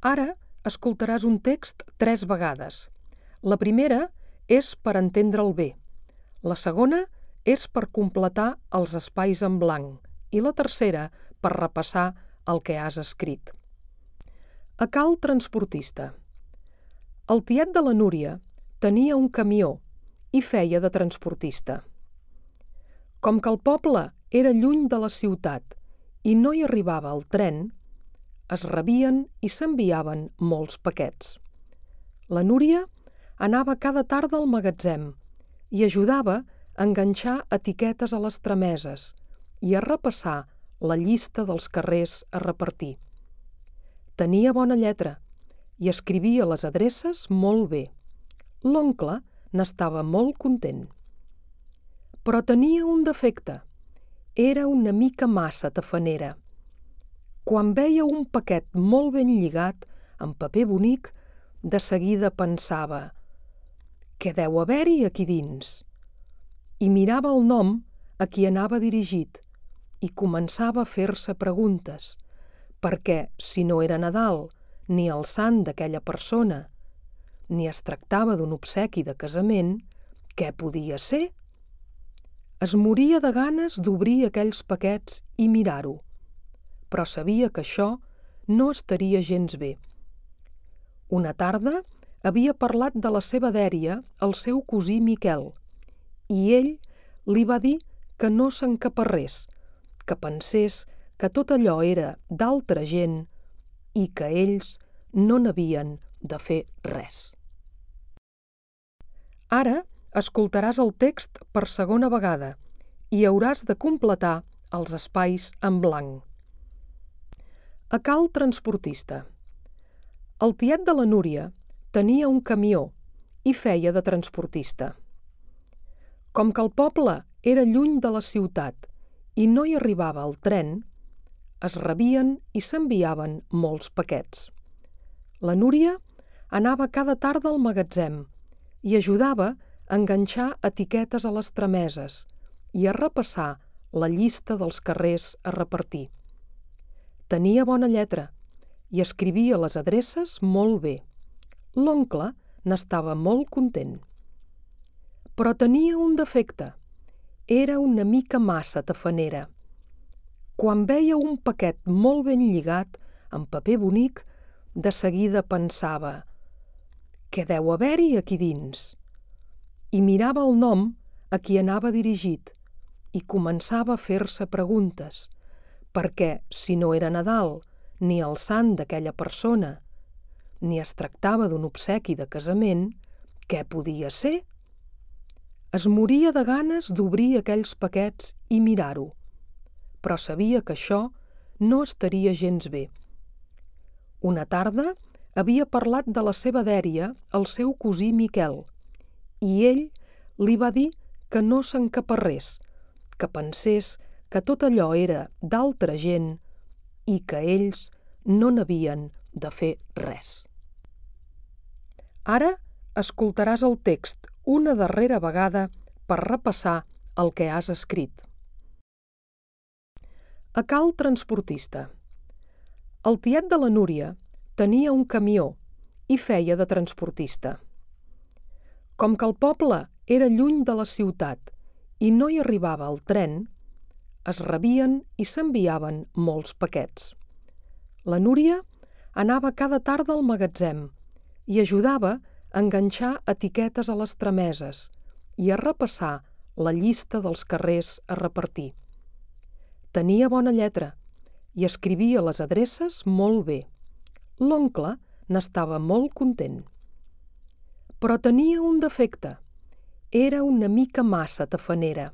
Ara escoltaràs un text 3 vegades. La primera és per entendre'l bé. La segona és per completar els espais en blanc i la tercera per repassar el que has escrit. A cal transportista. El tiet de la Núria tenia un camió i feia de transportista. Com que el poble era lluny de la ciutat i no hi arribava el tren, es rebien i s'enviaven molts paquets. La Núria anava cada tarda al magatzem i ajudava a enganxar etiquetes a les trameses i a repassar la llista dels carrers a repartir. Tenia bona lletra i escrivia les adreces molt bé. L'oncle n'estava molt content. Però tenia un defecte. Era una mica massa tafanera. Quan veia un paquet molt ben lligat, en paper bonic, de seguida pensava: «Què deu haver-hi aquí dins?» I mirava el nom a qui anava dirigit i començava a fer-se preguntes, perquè si no era Nadal ni el sant d'aquella persona, ni es tractava d'un obsequi de casament, què podia ser? Es moria de ganes d'obrir aquells paquets i mirar-ho, però sabia que això no estaria gens bé. Una tarda havia parlat de la seva dèria al seu cosí Miquel i ell li va dir que no s'encaparrés, que pensés que tot allò era d'altra gent i que ells no n'havien de fer res. Ara escoltaràs el text per segona vegada i hauràs de completar els espais en blanc. A cal transportista. El tiet de la Núria tenia un camió i feia de transportista. Com que el poble era lluny de la ciutat i no hi arribava el tren, es rebien i s'enviaven molts paquets. La Núria anava cada tarda al magatzem i ajudava a enganxar etiquetes a les trameses i a repassar la llista dels carrers a repartir. Tenia bona lletra i escrivia les adreces molt bé. L'oncle n'estava molt content. Però tenia un defecte. Era una mica massa tafanera. Quan veia un paquet molt ben lligat, en paper bonic, de seguida pensava: «Què deu haver-hi aquí dins?» I mirava el nom a qui anava dirigit i començava a fer-se preguntes, perquè si no era Nadal ni el sant d'aquella persona, ni es tractava d'un obsequi de casament, què podia ser? Es moria de ganes d'obrir aquells paquets i mirar-ho, però sabia que això no estaria gens bé. Una tarda havia parlat de la seva dèria al seu cosí Miquel i ell li va dir que no s'encaparrés, que pensés que tot allò era d'altra gent i que ells no n'havien de fer res. Ara escoltaràs el text una darrera vegada per repassar el que has escrit. A cal transportista. El tiet de la Núria tenia un camió i feia de transportista. Com que el poble era lluny de la ciutat i no hi arribava el tren, es rebien i s'enviaven molts paquets. La Núria anava cada tarda al magatzem i ajudava a enganxar etiquetes a les trameses i a repassar la llista dels carrers a repartir. Tenia bona lletra i escrivia les adreces molt bé. L'oncle n'estava molt content. Però tenia un defecte. Era una mica massa tafanera.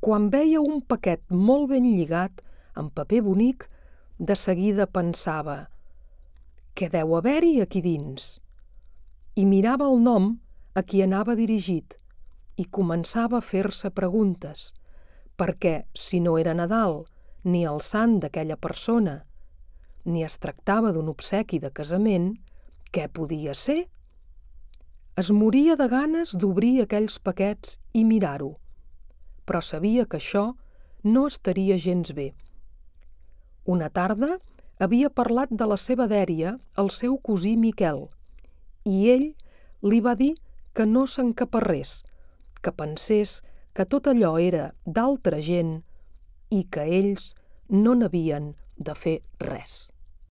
Quan veia un paquet molt ben lligat, en paper bonic, de seguida pensava: «Què deu haver-hi aquí dins?» I mirava el nom a qui anava dirigit i començava a fer-se preguntes, perquè si no era Nadal ni el sant d'aquella persona, ni es tractava d'un obsequi de casament, què podia ser? Es moria de ganes d'obrir aquells paquets i mirar-ho, però sabia que això no estaria gens bé. Una tarda havia parlat de la seva dèria al seu cosí Miquel, i ell li va dir que no s'encaparrés, que pensés que tot allò era d'altra gent i que ells no n'havien de fer res.